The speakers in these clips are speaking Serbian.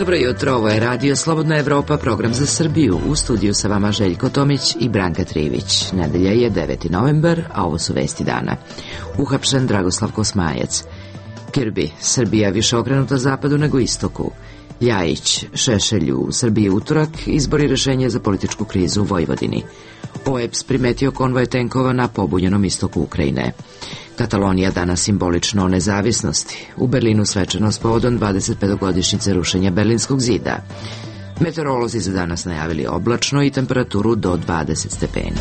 Dobro jutro, ovo je Radio Slobodna Evropa, program za Srbiju. U studiju sa vama Željko Tomić i Branka Trivić. Nedelja je 9. novembar, a ovo su vesti dana. Uhapšen Dragoslav Kosmajac. Kirby, Srbija više okrenuta zapadu nego istoku. Ljajić, Šešelju u Srbiji utorak, izbori rešenje za političku krizu u Vojvodini. OEBS primetio konvoj tenkova na pobunjenom istoku Ukrajine. Katalonija danas simbolično o nezavisnosti. U Berlinu svečanost povodom 25-godišnjice rušenja Berlinskog zida. Meteorolozi za danas najavili oblačno i temperaturu do 20 stepeni.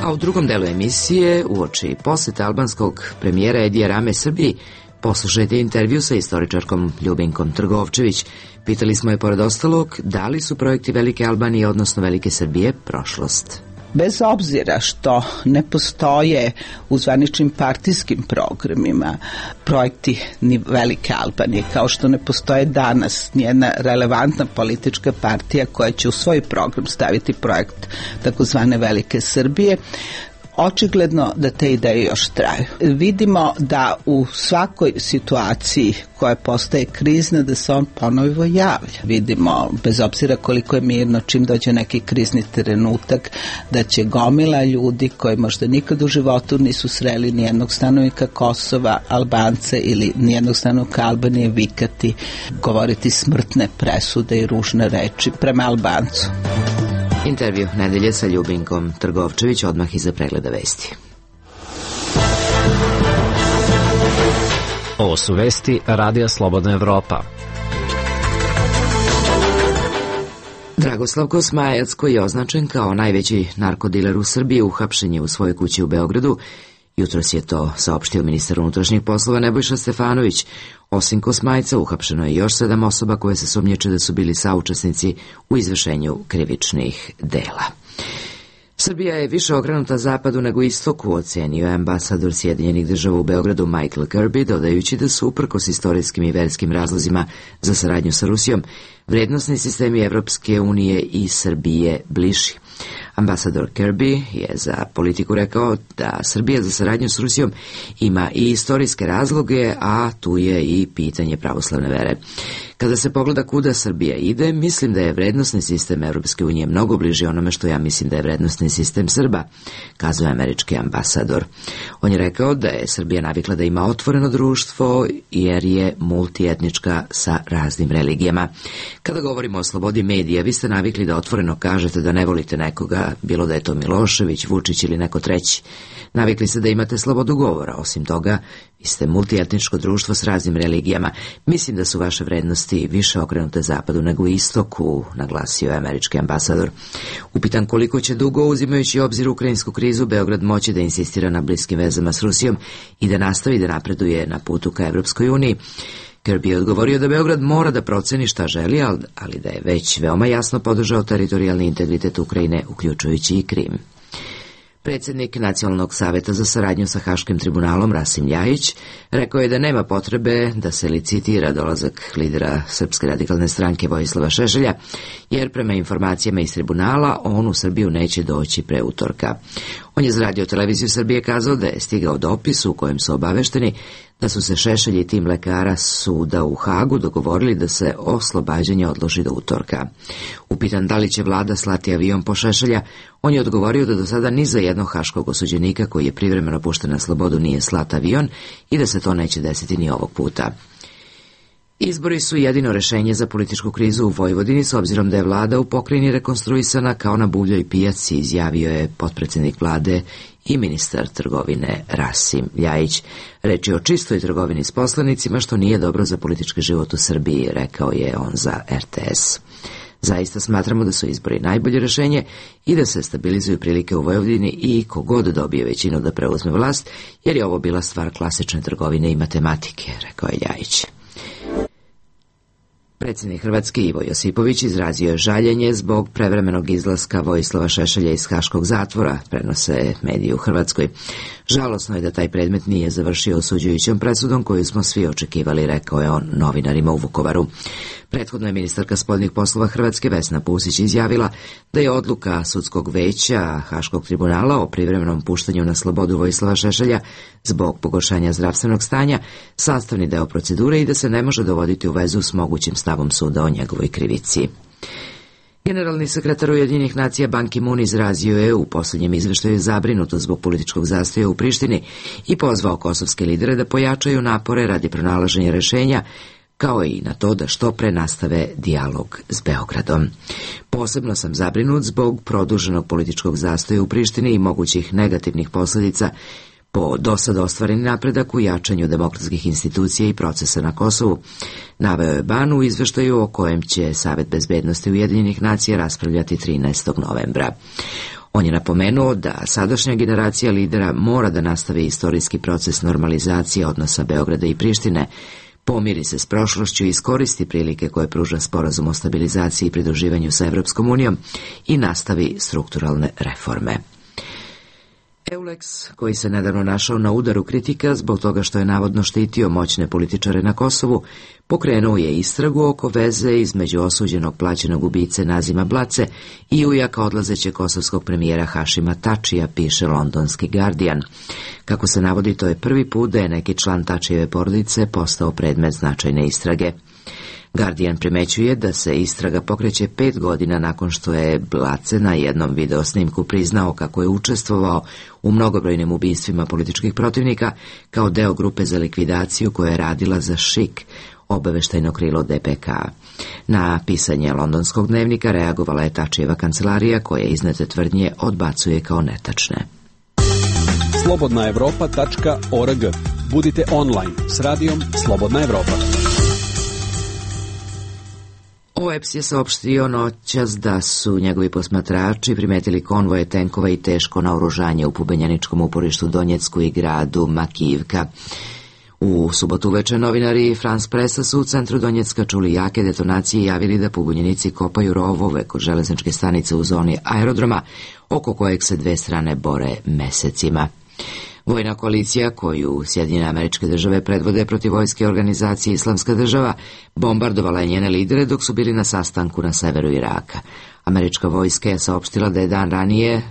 A u drugom delu emisije, uoči posete albanskog premijera Edija Rame Srbiji, poslušajte intervju sa istoričarkom Ljubinkom Trgovčević. Pitali smo je, pored ostalog, da li su projekti Velike Albanije, odnosno Velike Srbije, prošlost. Bez obzira što ne postoje u zvaničnim partijskim programima projekti ni Velike Albanije, kao što ne postoje danas nijedna relevantna politička partija koja će u svoj program staviti projekt takozvane Velike Srbije, očigledno da te ideje još traju. Vidimo da u svakoj situaciji koja postaje krizna, da se on ponovo javlja. Vidimo, bez obzira koliko je mirno, čim dođe neki krizni trenutak, da će gomila ljudi koji možda nikad u životu nisu sreli nijednog stanovnika Kosova, Albance ili nijednog stanovnika Albanije vikati, govoriti smrtne presude i ružne reči prema Albancu. Intervju nedelje sa Ljubinkom Trgovčević odmah iza pregleda vesti. Ovo su vesti Radija Slobodna Evropa. Dragoslav Kosmajac, koji je označen kao najveći narkodiler u Srbiji, uhapšen je u svojoj kući u Beogradu. Jutros je to saopštio ministar unutrašnjih poslova Nebojša Stefanović. Osim Kosmajca, uhapšeno je još 7 osoba koje se sumnjiče da su bili saučesnici u izvršenju krivičnih dela. Srbija je više okrenuta zapadu nego istoku, ocenio je ambasador Sjedinjenih Država u Beogradu Michael Kirby, dodajući da su, uprkos istorijskim i verskim razlozima za saradnju sa Rusijom, vrednosni sistemi Evropske unije i Srbije bliži. Ambasador Kirby je za Politiku rekao da Srbija za saradnju s Rusijom ima i istorijske razloge, a tu je i pitanje pravoslavne vere. Kada se pogleda kuda Srbija ide, mislim da je vrednosni sistem Evropske unije mnogo bliži onome što ja mislim da je vrednosni sistem Srba, kazao je američki ambasador. On je rekao da je Srbija navikla da ima otvoreno društvo jer je multietnička sa raznim religijama. Kada govorimo o slobodi medija, vi ste navikli da otvoreno kažete da ne volite nekoga, bilo da je to Milošević, Vučić ili neko treći. Navikli ste da imate slobodu govora. Osim toga, vi ste multietničko društvo s raznim religijama. Mislim da su vaše vrednosti više okrenute zapadu nego istoku, naglasio je američki ambasador. Upitan koliko će dugo, uzimajući obzir ukrajinsku krizu, Beograd moći da insistira na bliskim vezama s Rusijom i da nastavi da napreduje na putu ka Evropskoj uniji. Kirby je odgovorio da Beograd mora da proceni šta želi, ali da je već veoma jasno podržao teritorijalni integritet Ukrajine, uključujući i Krim. Predsjednik Nacionalnog saveta za saradnju sa Haškim tribunalom Rasim Ljajić rekao je da nema potrebe da se licitira dolazak lidera Srpske radikalne stranke Vojislava Šešelja, jer prema informacijama iz tribunala on u Srbiju neće doći pre utorka. On je za Radio televiziju Srbije kazao da je stigao dopis u kojem su obavešteni da su se Šešelj i tim lekara suda u Hagu dogovorili da se oslobađanje odloži do utorka. Upitan da li će vlada slati avion po Šešelja, on je odgovorio da do sada ni za jednog haškog osuđenika koji je privremeno pušten na slobodu nije slat avion i da se to neće desiti ni ovog puta. Izbori su jedino rešenje za političku krizu u Vojvodini, s obzirom da je vlada u pokrajini rekonstruisana kao na buvljoj pijaci, izjavio je potpredsjednik vlade i ministar trgovine Rasim Ljajić. Reč je o čistoj trgovini s poslanicima, što nije dobro za politički život u Srbiji, rekao je on za RTS. Zaista smatramo da su izbori najbolje rešenje i da se stabilizuju prilike u Vojvodini i kogod dobije većinu da preuzme vlast, jer je ovo bila stvar klasične trgovine i matematike, rekao je Ljajić. Predsjednik Hrvatske Ivo Josipović izrazio je žaljenje zbog prevremenog izlaska Vojislava Šešelja iz haškog zatvora, prenose mediji u Hrvatskoj. Žalosno je da taj predmet nije završio osuđujućom presudom koju smo svi očekivali, rekao je on novinarima u Vukovaru. Prethodno je ministarka spoljnih poslova Hrvatske Vesna Pusić izjavila da je odluka sudskog veća Haškog tribunala o privremenom puštanju na slobodu Vojislava Šešelja zbog pogoršanja zdravstvenog stanja sastavni deo procedure i da se ne može dovoditi u vezu s mogućim stavom suda o njegovoj krivici. Generalni sekretar Ujedinjenih nacija Ban Ki-moon izrazio je u posljednjem izveštaju zabrinutost zbog političkog zastoja u Prištini i pozvao kosovske lidere da pojačaju napore radi pronalaženja rešenja, kao i na to da što pre nastave dijalog s Beogradom. Posebno sam zabrinut zbog produženog političkog zastoja u Prištini i mogućih negativnih posljedica po dosad ostvareni napredak u jačanju demokratskih institucija i procesa na Kosovu, naveo je Ban u izveštaju o kojem će Savet bezbednosti Ujedinjenih nacija raspravljati 13. novembra. On je napomenuo da sadašnja generacija lidera mora da nastavi istorijski proces normalizacije odnosa Beograda i Prištine, pomiri se s prošlošću i iskoristi prilike koje pruža sporazum o stabilizaciji i pridruživanju sa Evropskom unijom i nastavi strukturalne reforme. Eulex, koji se nedavno našao na udaru kritika zbog toga što je navodno štitio moćne političare na Kosovu, pokrenuo je istragu oko veze između osuđenog plaćenog ubice Nazima Blace i ujaka odlazećeg kosovskog premijera Hašima Tačija, piše londonski Guardian. Kako se navodi, to je prvi put da je neki član Tačijeve porodice postao predmet značajne istrage. Guardian primećuje da se istraga pokreće 5 godina nakon što je Blace na jednom videosnimku priznao kako je učestvovao u mnogobrojnim ubistvima političkih protivnika kao deo grupe za likvidaciju koja je radila za ŠIK, obaveštajno krilo DPK. Na pisanje londonskog dnevnika reagovala je Tačijeva kancelarija koja iznete tvrdnje odbacuje kao netačne. slobodnaevropa.org. Budite online s radijom Slobodna Evropa. OEPS je saopštio noćas da su njegovi posmatrači primetili konvoje tenkova i teško naoružanje u pobunjeničkom uporištu Donjecku i gradu Makijivka. U subotu uveče novinari France Pressa su u centru Donjecka čuli jake detonacije i javili da pobunjenici kopaju rovove kod železničke stanice u zoni aerodroma, oko kojeg se dve strane bore mesecima. Vojna koalicija koju Sjedinjene Američke Države predvode protiv vojske organizacije Islamska država bombardovala je njene lidere dok su bili na sastanku na severu Iraka. Američka vojska je saopštila da je dan ranije,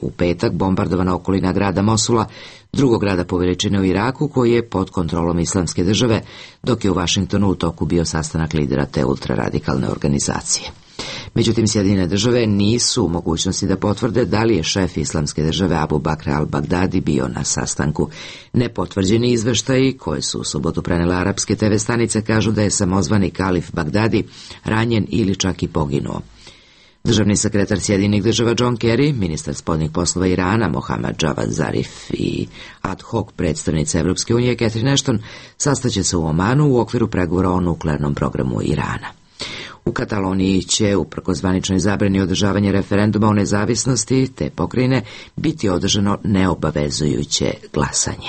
u petak, bombardovana okolina grada Mosula, drugog grada po veličini u Iraku koji je pod kontrolom Islamske države, dok je u Vašingtonu u toku bio sastanak lidera te ultraradikalne organizacije. Međutim, Sjedinjene države nisu u mogućnosti da potvrde da li je šef Islamske države Abu Bakr al-Baghdadi bio na sastanku. Nepotvrđeni izveštaji, koje su u subotu prenele arapske TV stanice, kažu da je samozvani kalif Bagdadi ranjen ili čak i poginuo. Državni sekretar Sjedinjenih država John Kerry, ministar spoljnih poslova Irana Mohammad Javad Zarif i ad hoc predstavnica Evropske unije Catherine Ashton sastaće se u Omanu u okviru pregovora o nuklearnom programu Irana. U Kataloniji će, uprkos zvaničnoj zabrani održavanja referenduma o nezavisnosti te pokrajine, biti održano neobavezujuće glasanje.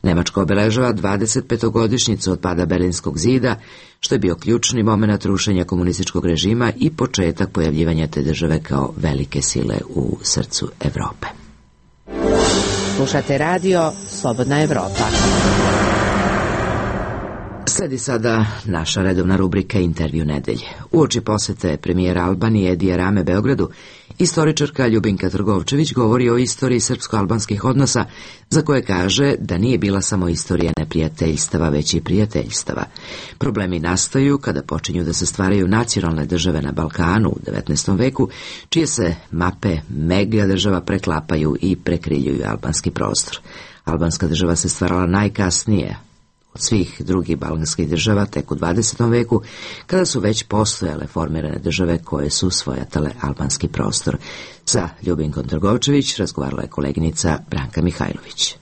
Nemačka obeležava 25-godišnjicu od pada Berlinskog zida, što je bio ključni moment rušenja komunističkog režima i početak pojavljivanja te države kao velike sile u srcu Evrope. Slušate radio Slobodna Evropa. Sledi sada naša redovna rubrika Intervju nedelje. Uoči posete premijera Albanije Edija Rame Beogradu, istoričarka Ljubinka Trgovčević govori o istoriji srpsko-albanskih odnosa, za koje kaže da nije bila samo istorija neprijateljstava, već i prijateljstava. Problemi nastaju kada počinju da se stvaraju nacionalne države na Balkanu u 19. veku, čije se mape mega država preklapaju i prekriljuju albanski prostor. Albanska država se stvarala najkasnije od svih drugih balkanskih država tek u 20. veku, kada su već postojale formirane države koje su svojatale albanski prostor. Sa Ljubinkom Trgovčević razgovarala je koleginica Branka Mihajlović.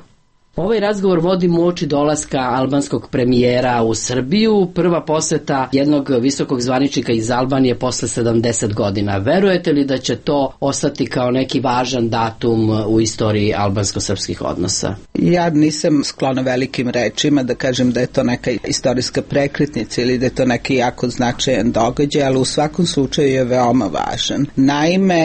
Ovaj razgovor vodim uoči dolaska albanskog premijera u Srbiju, prva poseta jednog visokog zvaničnika iz Albanije posle 70 godina. Verujete li da će to ostati kao neki važan datum u istoriji albansko-srpskih odnosa? Ja nisam sklona velikim rečima da kažem da je to neka istorijska prekretnica ili da je to neki jako značajan događaj, ali u svakom slučaju je veoma važan. Naime,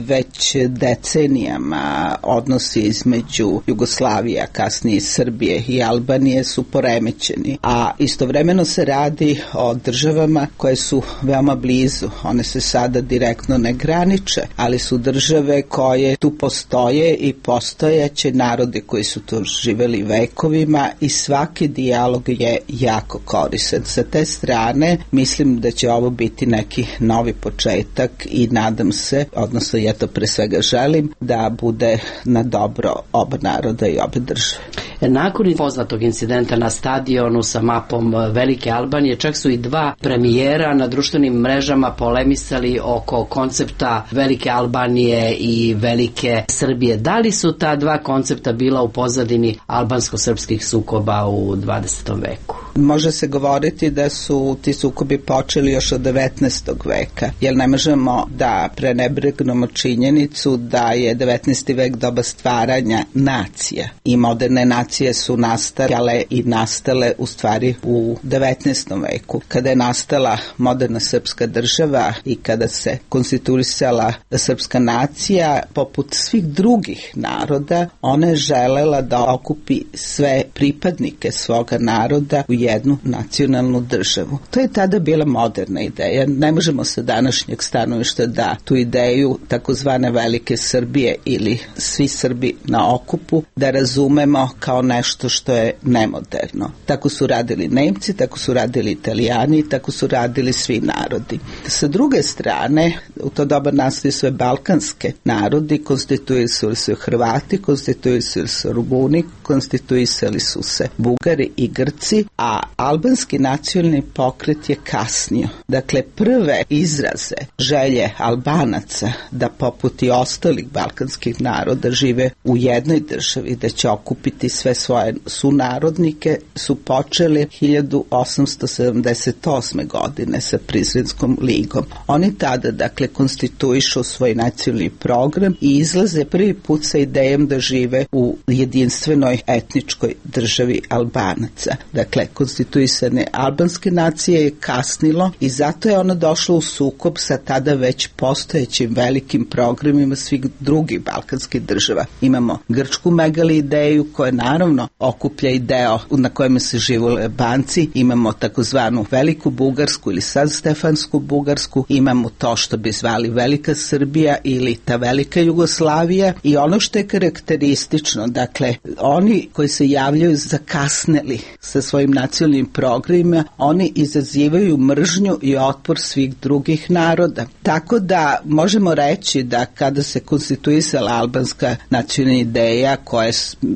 već decenijama odnosi između Jugoslavije, kasnije i Srbije i Albanije su poremećeni, a istovremeno se radi o državama koje su veoma blizu. One se sada direktno ne graniče, ali su države koje tu postoje i postojaće, narodi koji su tu živeli vekovima i svaki dijalog je jako koristan. Sa te strane mislim da će ovo biti neki novi početak i nadam se, odnosno ja to pre svega želim, da bude na dobro oba naroda i obe države. Nakon poznatog incidenta na stadionu sa mapom Velike Albanije, čak su i dva premijera na društvenim mrežama polemisali oko koncepta Velike Albanije i Velike Srbije. Da li su ta dva koncepta bila u pozadini albansko-srpskih sukoba u 20. veku? Može se govoriti da su ti sukobi počeli još od 19. veka, jer ne možemo da prenebregnemo činjenicu da je 19. vek doba stvaranja nacija i moderne nacije su nastale i nastale u stvari u 19. veku. Kada je nastala moderna srpska država i kada se konstituisala srpska nacija, poput svih drugih naroda, ona je želela da okupi sve pripadnike svoga naroda u jednu nacionalnu državu. To je tada bila moderna ideja. Ne možemo sa današnjeg stanovišta da tu ideju takozvane Velike Srbije ili svi Srbi na okupu da razumemo kao nešto što je nemoderno. Tako su radili Nemci, tako su radili Italijani, tako su radili svi narodi. Sa druge strane, u to doba nastaju sve balkanske narodi, konstituisali su Hrvati, konstituisali su Rumuni, konstituisali su se Bugari i Grci, a albanski nacionalni pokret je kasnio. Dakle, prve izraze želje Albanaca da poput i ostalih balkanskih naroda žive u jednoj državi, da će okupiti sve svoje sunarodnike, su počeli 1878. godine sa Prizrenskom ligom. Oni tada, dakle, konstituišu svoj nacionalni program i izlaze prvi put sa idejom da žive u jedinstvenoj etničkoj državi Albanaca. Dakle, konstituisane albanske nacije je kasnilo i zato je ono došlo u sukob sa tada već postojećim velikim programima svih drugih balkanskih država. Imamo grčku megali ideju koja naravno okuplja i deo na kojem se živole Albanci, imamo takozvanu Veliku Bugarsku ili sad Stefansku Bugarsku, imamo to što bi zvali Velika Srbija ili ta Velika Jugoslavija i ono što je karakteristično, dakle, oni koji se javljaju zakasneli sa svojim nacionalnim programima, oni izazivaju mržnju i otpor svih drugih naroda. Tako da možemo reći da kada se konstituisala albanska nacionalna ideja koja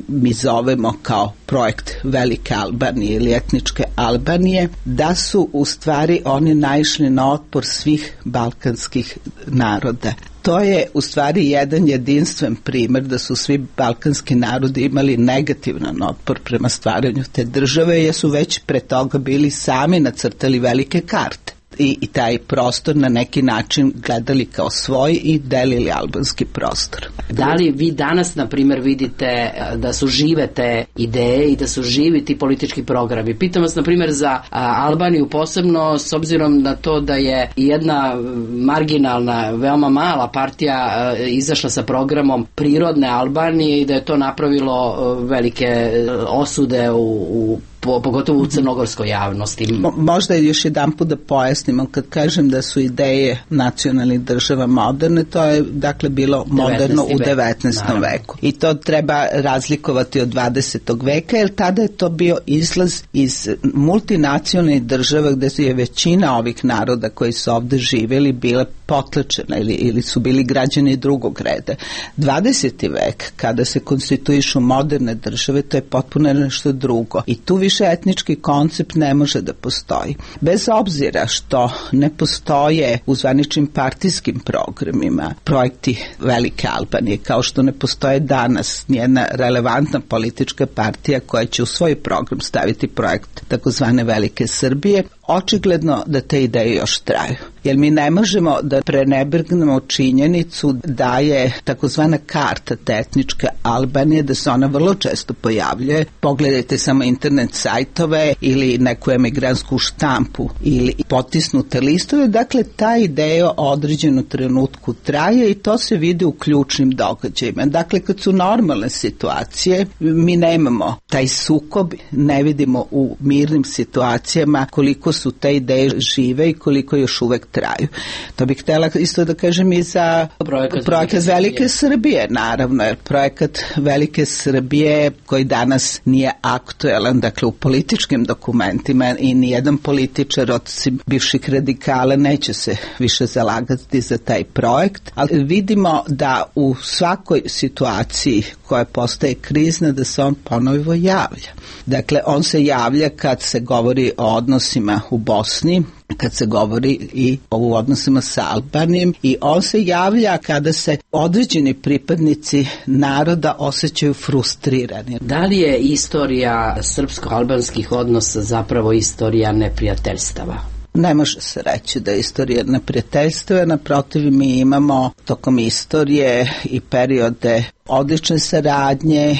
mi zovemo kao projekt Velike Albanije ili etničke Albanije, da su u stvari oni naišli na otpor svih balkanskih naroda. To je u stvari jedan jedinstven primer da su svi balkanski narodi imali negativan otpor prema stvaranju te države, jer su već pre toga bili sami nacrtali velike karte. I taj prostor na neki način gledali kao svoj i delili albanski prostor. Da li vi danas, na primjer, vidite da su žive te ideje i da su živi ti politički programi? Pitam vas, na primjer, za Albaniju posebno, s obzirom na to da je jedna marginalna, veoma mala partija izašla sa programom prirodne Albanije i da je to napravilo velike osude pogotovo u crnogorskoj javnosti. Možda još jedan put da pojasnimo, kad kažem da su ideje nacionalnih država moderne, to je dakle bilo moderno u 19. veku. I to treba razlikovati od 20. veka, jer tada je to bio izlaz iz multinacionalnih država gde je većina ovih naroda koji su ovde živjeli bila potlačena ili su bili građani drugog reda. 20. vek, kada se konstituišu moderne države, to je potpuno nešto drugo. I tu više etnički koncept ne može da postoji. Bez obzira što ne postoje u zvaničnim partijskim programima projekti Velike Albanije, kao što ne postoje danas nijedna relevantna politička partija koja će u svoj program staviti projekt takozvane Velike Srbije, očigledno da te ideje još traju. jer mi ne možemo da prenebrgnemo činjenicu da je takozvana karta etničke Albanije, da se ona vrlo često pojavljuje. Pogledajte samo internet sajtove ili neku emigrantsku štampu ili potisnute listove. Dakle, ta ideja o određenom trenutku traje i to se vidi u ključnim događajima. Dakle, kad su normalne situacije, mi nemamo taj sukob, ne vidimo u mirnim situacijama koliko su te ideje žive i koliko još uvek traju. To bih htjela isto da kažem i za projekat Velike Srbije, naravno, jer projekat Velike Srbije koji danas nije aktuelan, dakle u političkim dokumentima i nijedan političar od bivših radikala neće se više zalagati za taj projekt, ali vidimo da u svakoj situaciji koja postaje krizna da se on ponovo javlja. Dakle, on se javlja kad se govori o odnosima u Bosni, kad se govori i o odnosima sa Albanijom i on se javlja kada se određeni pripadnici naroda osjećaju frustrirani. Da li je istorija srpsko-albanskih odnosa zapravo istorija neprijateljstava? Ne može se reći da je istorija neprijateljstva, naprotiv mi imamo tokom istorije i periode odlične saradnje,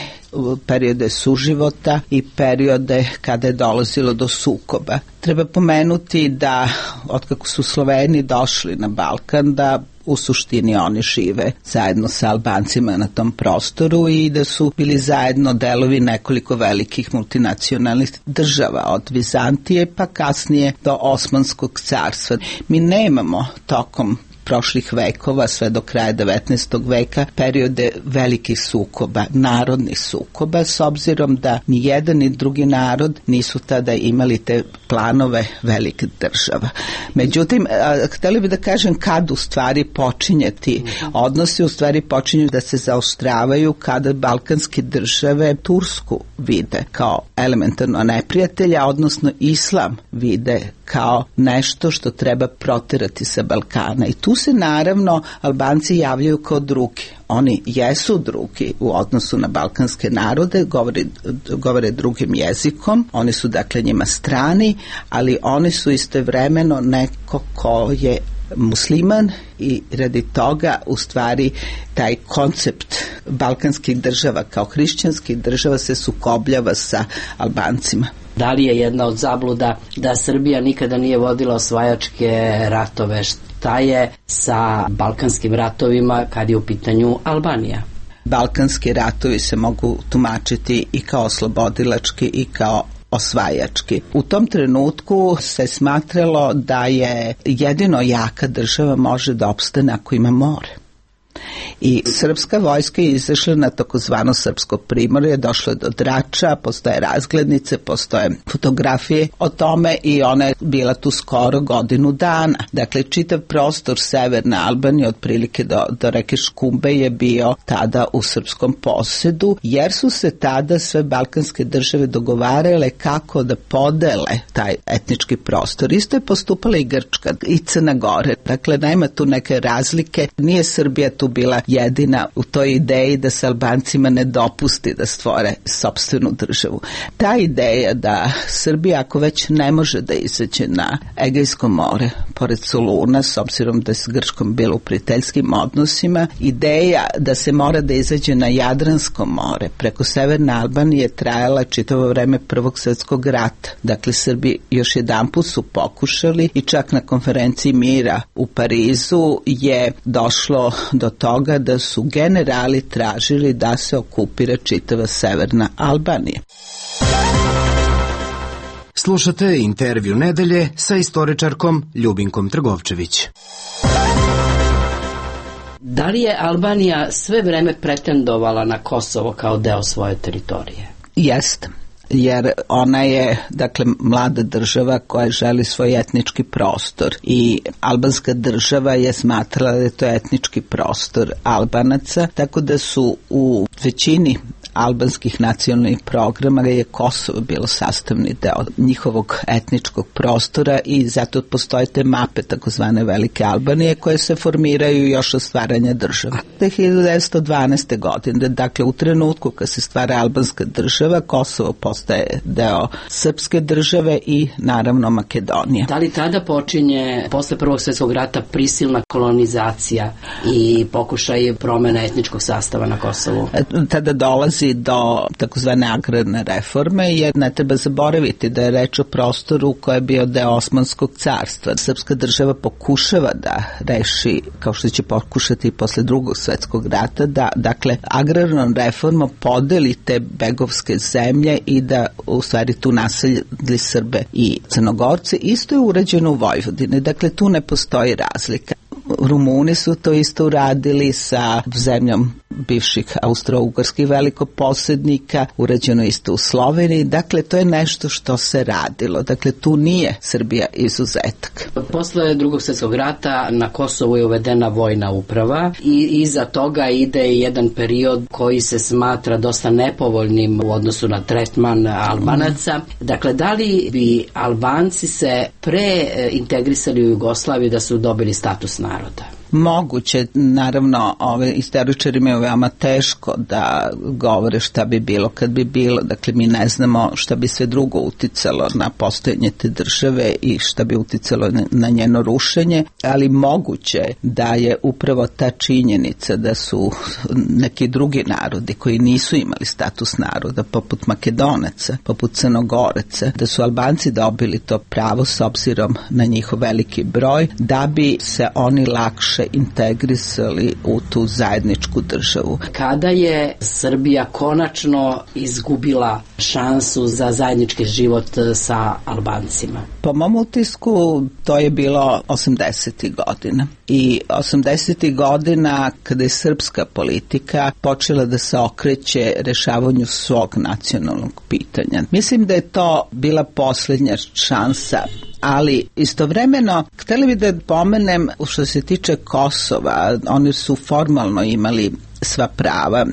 periode suživota i periode kada je dolazilo do sukoba. Treba pomenuti da otkako su Sloveni došli na Balkan, da u suštini oni žive zajedno sa Albancima na tom prostoru i da su bili zajedno delovi nekoliko velikih multinacionalnih država, od Vizantije pa kasnije do Osmanskog carstva. Mi nemamo tokom prošlih vekova, sve do kraja 19. veka, periode velikih sukoba, narodnih sukoba, s obzirom da ni jedan ni drugi narod nisu tada imali te planove velikih država. Međutim, htjeli bi da kažem kad u stvari počinje ti odnosi, u stvari počinju da se zaoštravaju kada balkanske države Tursku vide kao elementarno neprijatelja, odnosno islam vide kao nešto što treba proterati sa Balkana. I tu se naravno Albanci javljaju kao drugi. Oni jesu drugi u odnosu na balkanske narode, govore drugim jezikom, oni su dakle njima strani, ali oni su istovremeno neko ko je musliman i radi toga u stvari taj koncept balkanskih država kao hrišćanskih država se sukobljava sa Albancima. Da li je jedna od zabluda da Srbija nikada nije vodila osvajačke ratove? Šta je sa balkanskim ratovima kad je u pitanju Albanija? Balkanski ratovi se mogu tumačiti i kao oslobodilački i kao osvajački. U tom trenutku se smatralo da je jedino jaka država može da opstane ako ima more. I srpska vojska je izašla na takozvano srpsko primorje, došlo je do Drača, postoje razglednice, postoje fotografije o tome i ona je bila tu skoro godinu dana. Dakle, čitav prostor severne Albanije, otprilike do reke Škumbe, je bio tada u srpskom posedu, jer su se tada sve balkanske države dogovarale kako da podele taj etnički prostor. Isto je postupala i Grčka i Crna Gora. Dakle, nema tu neke razlike, nije Srbija tu bila jedina u toj ideji da se Albancima ne dopusti da stvore sopstvenu državu. Ta ideja da Srbija ako već ne može da izađe na Egejsko more pored Soluna, s obzirom da je s Grčkom bilo u prijateljskim odnosima, ideja da se mora da izađe na Jadransko more preko severne Albanije trajala čitavo vreme Prvog svjetskog rata. Dakle, Srbi još jedanput su pokušali i čak na konferenciji mira u Parizu je došlo do toga da su generali tražili da se okupira čitava severna Albanija. Slušate intervju nedelje sa istoričarkom Ljubinkom Trgovčević. Da li je Albanija sve vreme pretendovala na Kosovo kao deo svoje teritorije? Jeste. Jer ona je, dakle, mlada država koja želi svoj etnički prostor i albanska država je smatrala da je to etnički prostor Albanaca, tako da su u većini albanskih nacionalnih programa je Kosovo bilo sastavni deo njihovog etničkog prostora i zato postoje te mape takozvane Velike Albanije koje se formiraju još od stvaranja države. 1912. godine, dakle u trenutku kad se stvara albanska država, Kosovo postaje deo srpske države i naravno Makedonija. Da li tada počinje posle Prvog svjetskog rata prisilna kolonizacija i pokušaj promjena etničkog sastava na Kosovu? Tada dolazi do takozvane agrarne reforme, jer ne treba zaboraviti da je reč o prostoru koji je bio deo Osmanskog carstva. Srpska država pokušava da reši, kao što će pokušati i posle Drugog svjetskog rata, da dakle agrarnom reformom podeli te begovske zemlje i da u stvari tu naselji Srbe i Crnogorce. Isto je urađeno u Vojvodini, dakle tu ne postoji razlika. Rumuni su to isto uradili sa zemljom bivših austro-ugarskih velikoposednika, urađeno isto u Sloveniji, dakle to je nešto što se radilo, dakle tu nije Srbija izuzetak. Posle Drugog svjetskog rata na Kosovu je uvedena vojna uprava i iza toga ide jedan period koji se smatra dosta nepovoljnim u odnosu na tretman Albanaca. Dakle, da li bi Albanci se integrisali u Jugoslaviju da su dobili status naroda? Moguće, naravno, istoričarima je veoma teško da govore šta bi bilo kad bi bilo, dakle mi ne znamo šta bi sve drugo uticalo na postojanje te države i šta bi uticalo na njeno rušenje, ali moguće da je upravo ta činjenica da su neki drugi narodi koji nisu imali status naroda, poput Makedonaca, poput Crnogoraca, da su Albanci dobili to pravo s obzirom na njihov veliki broj, da bi se oni lakše integrisali u tu zajedničku državu. Kada je Srbija konačno izgubila šansu za zajednički život sa Albancima? Po mom utisku to je bilo 80. godina. I 80. godina kada je srpska politika počela da se okreće rešavanju svog nacionalnog pitanja. Mislim da je to bila posljednja šansa, ali istovremeno htjeli bi da pomenem što se tiče Kosova, oni su formalno imali sva prava,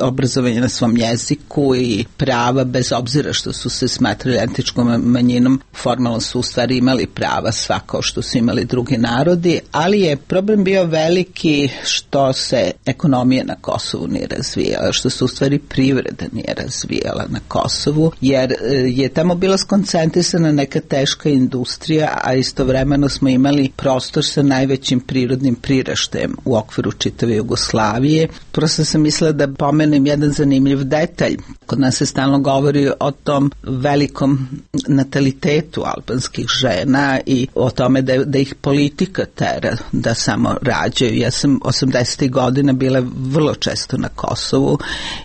obrazovanje na svom jeziku i prava bez obzira što su se smatrali etničkom manjinom, formalno su u stvari imali prava svako što su imali drugi narodi, ali je problem bio veliki što se ekonomija na Kosovu nije razvijala, što se u stvari privreda nije razvijala na Kosovu, jer je tamo bila skoncentrisana neka teška industrija, a istovremeno smo imali prostor sa najvećim prirodnim priraštajem u okviru čitave Jugoslavije. Prosto sam mislila da pomenem jedan zanimljiv detalj. Kod nas se stalno govori o tom velikom natalitetu albanskih žena i o tome da ih politika tera da samo rađaju. Ja sam 80. godina bila vrlo često na Kosovu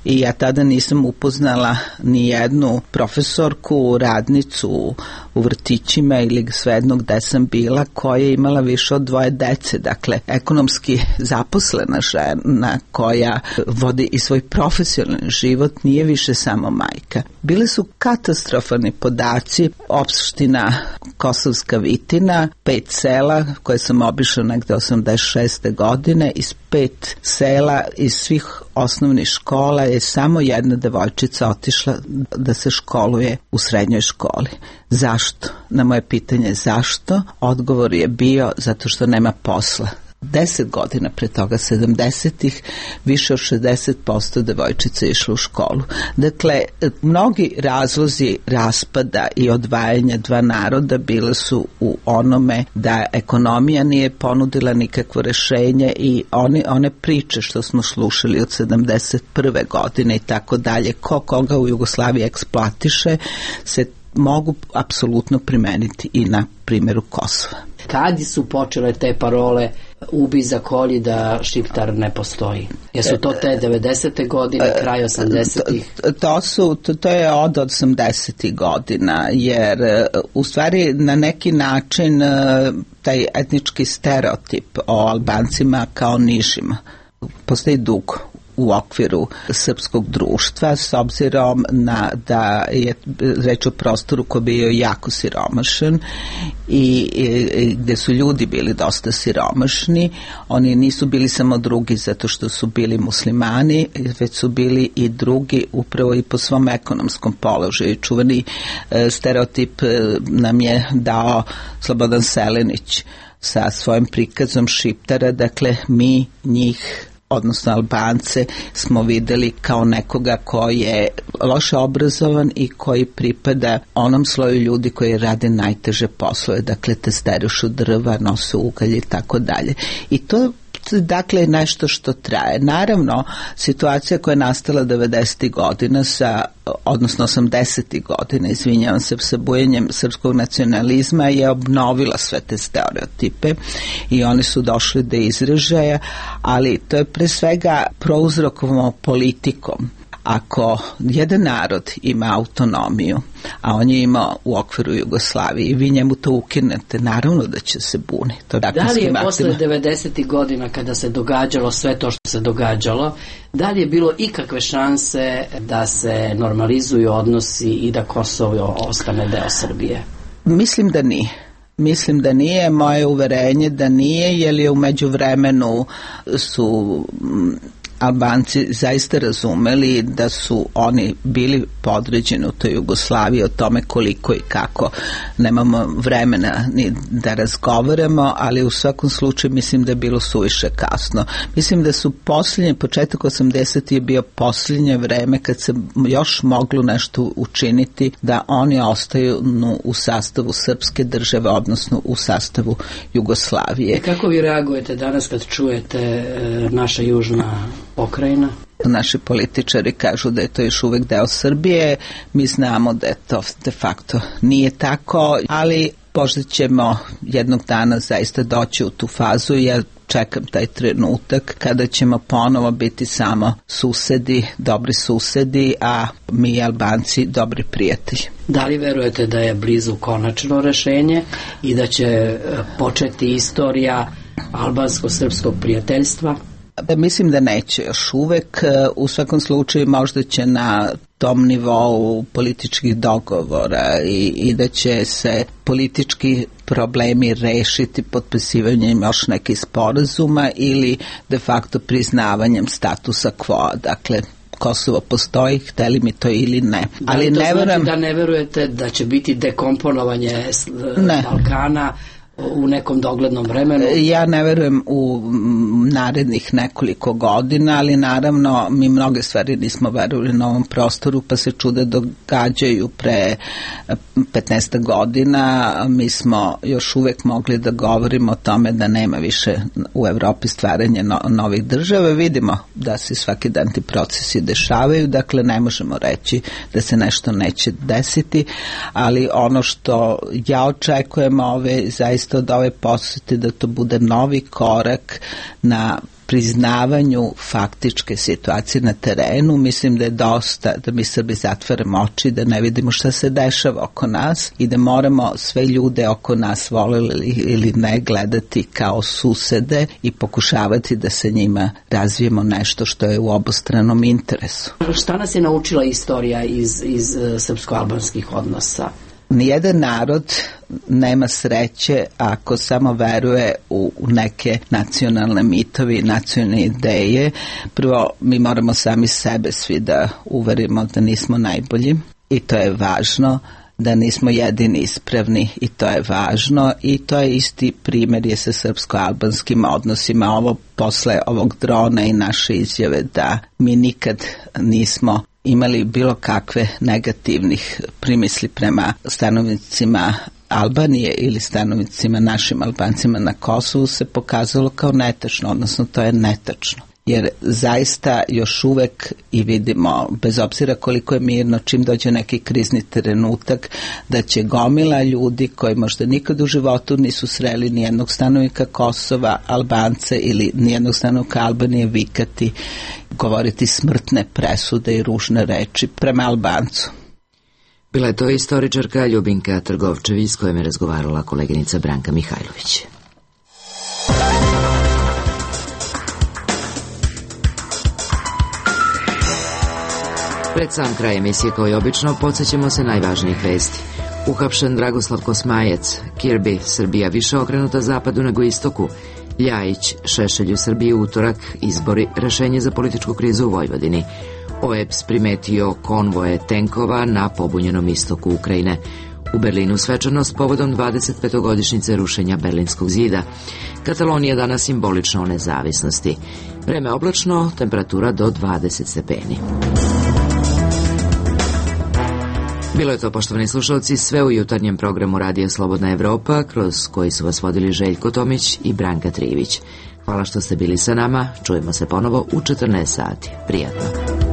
i ja tada nisam upoznala ni jednu profesorku, radnicu u vrtićima ili svejedno gde sam bila koja je imala više od 2 dece. Dakle, ekonomski zaposlena žena koja vodi i svoj profesionalni život nije više samo majka. Bili su katastrofalni podaci. Opština Kosovska Vitina, 5 sela koje sam obišla negde 86. godine, iz 5 sela iz svih osnovnih škola je samo jedna devojčica otišla da se školuje u srednjoj školi. Zašto? Na moje pitanje zašto, odgovor je bio zato što nema posla. 10 godina pre toga, 70-ih, više od 60% devojčica je išlo u školu. Dakle, mnogi razlozi raspada i odvajanja dva naroda bile su u onome da ekonomija nije ponudila nikakvo rešenje i one priče što smo slušali od 71. godine i tako dalje, ko koga u Jugoslaviji eksploatiše, se mogu apsolutno primeniti i na primjeru Kosova. Kad su počele te parole ubi za kolji da Šiptar ne postoji? Jesu to te 90. godine, kraj 80-ih? To je od 80. godina, jer u stvari na neki način taj etnički stereotip o Albancima kao nižima postoji dugo u okviru srpskog društva, s obzirom da je reč o prostoru koji bio jako siromašan i gde su ljudi bili dosta siromašni. Oni nisu bili samo drugi zato što su bili muslimani, već su bili i drugi upravo i po svom ekonomskom položaju. Čuveni stereotip nam je dao Slobodan Selenić sa svojim prikazom Šiptara. Dakle, mi njih, odnosno Albance, smo videli kao nekoga koji je loše obrazovan i koji pripada onom sloju ljudi koji rade najteže poslove, dakle testerušu drva, nose ugalj i tako dalje. I to dakle nešto što traje. Naravno, situacija koja je nastala 90. godina odnosno 80. godina, izvinjavam se, sa bujenjem srpskog nacionalizma je obnovila sve te stereotipe i oni su došli do izražaja, ali to je pre svega prouzrokovano politikom. Ako jedan narod ima autonomiju, a on je imao u okviru Jugoslavije i vi njemu to ukinete, naravno da će se buni. Da li je posle 90. godina kada se događalo sve to što se događalo, da li je bilo ikakve šanse da se normalizuju odnosi i da Kosovo ostane deo Srbije? Mislim da nije. Mislim da nije, moje uverenje da nije, jer je u međuvremenu su Albanci zaista razumeli da su oni bili podređeni u toj Jugoslaviji, o tome koliko i kako nemamo vremena ni da razgovaramo, ali u svakom slučaju mislim da je bilo suviše kasno. Mislim da su početak 80. je bio posljednje vreme kad se još moglo nešto učiniti da oni ostaju u sastavu srpske države, odnosno u sastavu Jugoslavije. Kako vi reagujete danas kad čujete naša južna pokrajina? Naši političari kažu da je to još uvek deo Srbije, mi znamo da je to de facto nije tako, ali možda ćemo jednog dana zaista doći u tu fazu. Ja čekam taj trenutak kada ćemo ponovo biti samo susedi, dobri susedi, a mi Albanci dobri prijatelji. Da li verujete da je blizu konačno rešenje i da će početi istorija albansko-srpskog prijateljstva? Mislim da neće još uvek. U svakom slučaju možda će na tom nivou političkih dogovora i da će se politički problemi rešiti potpisivanjem još nekih sporazuma ili de facto priznavanjem statusa quo. Dakle, Kosovo postoji, hteli mi to ili ne. Ali to znači da ne verujete da će biti dekomponovanje Balkana u nekom doglednom vremenu? Ja ne verujem u narednih nekoliko godina, ali naravno mi mnoge stvari nismo verovali na ovom prostoru, pa se čude događaju pre 15 godina. Mi smo još uvek mogli da govorimo o tome da nema više u Evropi stvaranja novih država. Vidimo da se svaki dan ti procesi dešavaju, dakle ne možemo reći da se nešto neće desiti, ali ono što ja očekujem zaista od ove posete da to bude novi korak na priznavanju faktičke situacije na terenu. Mislim da je dosta da mi Srbi zatvaramo oči, da ne vidimo šta se dešava oko nas i da moramo sve ljude oko nas, voleli ili ne, gledati kao susede i pokušavati da se njima razvijemo nešto što je u obostranom interesu. Šta nas je naučila istorija iz srpsko-albanskih odnosa? Nijedan narod nema sreće ako samo veruje u neke nacionalne mitovi, nacionalne ideje. Prvo, mi moramo sami sebe svi da uverimo da nismo najbolji i to je važno, da nismo jedini ispravni i to je važno i to je isti primjer je sa srpsko-albanskim odnosima. Ovo posle ovog drona i naše izjave da mi nikad nismo imali bilo kakve negativnih primisli prema stanovnicima Albanije ili stanovnicima našim Albancima na Kosovu se pokazalo kao netačno, odnosno to je netačno. Jer zaista još uvek i vidimo, bez obzira koliko je mirno, čim dođe neki krizni trenutak, da će gomila ljudi koji možda nikad u životu nisu sreli nijednog stanovnika Kosova, Albance ili nijednog stanovnika Albanije vikati, govoriti smrtne presude i ružne reči prema Albancu. Bila je to istoričarka Ljubinka Trgovčević s kojom je razgovarala koleginica Branka Mihajlović. Pred sam kraj emisije, kao i obično, podsjećamo se najvažnijih vesti. Uhapšen Dragoslav Kosmajac, Kirby, Srbija više okrenuta zapadu nego istoku, Ljajić, Šešelj u Srbiji utorak, izbori, rešenje za političku krizu u Vojvodini. OEBS primetio konvoje tenkova na pobunjenom istoku Ukrajine. U Berlinu svečanost povodom 25-godišnjice rušenja Berlinskog zida. Katalonija danas simbolično o nezavisnosti. Vreme oblačno, temperatura do 20 stepeni. Bilo je to, poštovani slušalci, sve u jutarnjem programu Radija Slobodna Evropa, kroz koji su vas vodili Željko Tomić i Branka Trivić. Hvala što ste bili sa nama, čujemo se ponovo u 14 sati. Prijatno.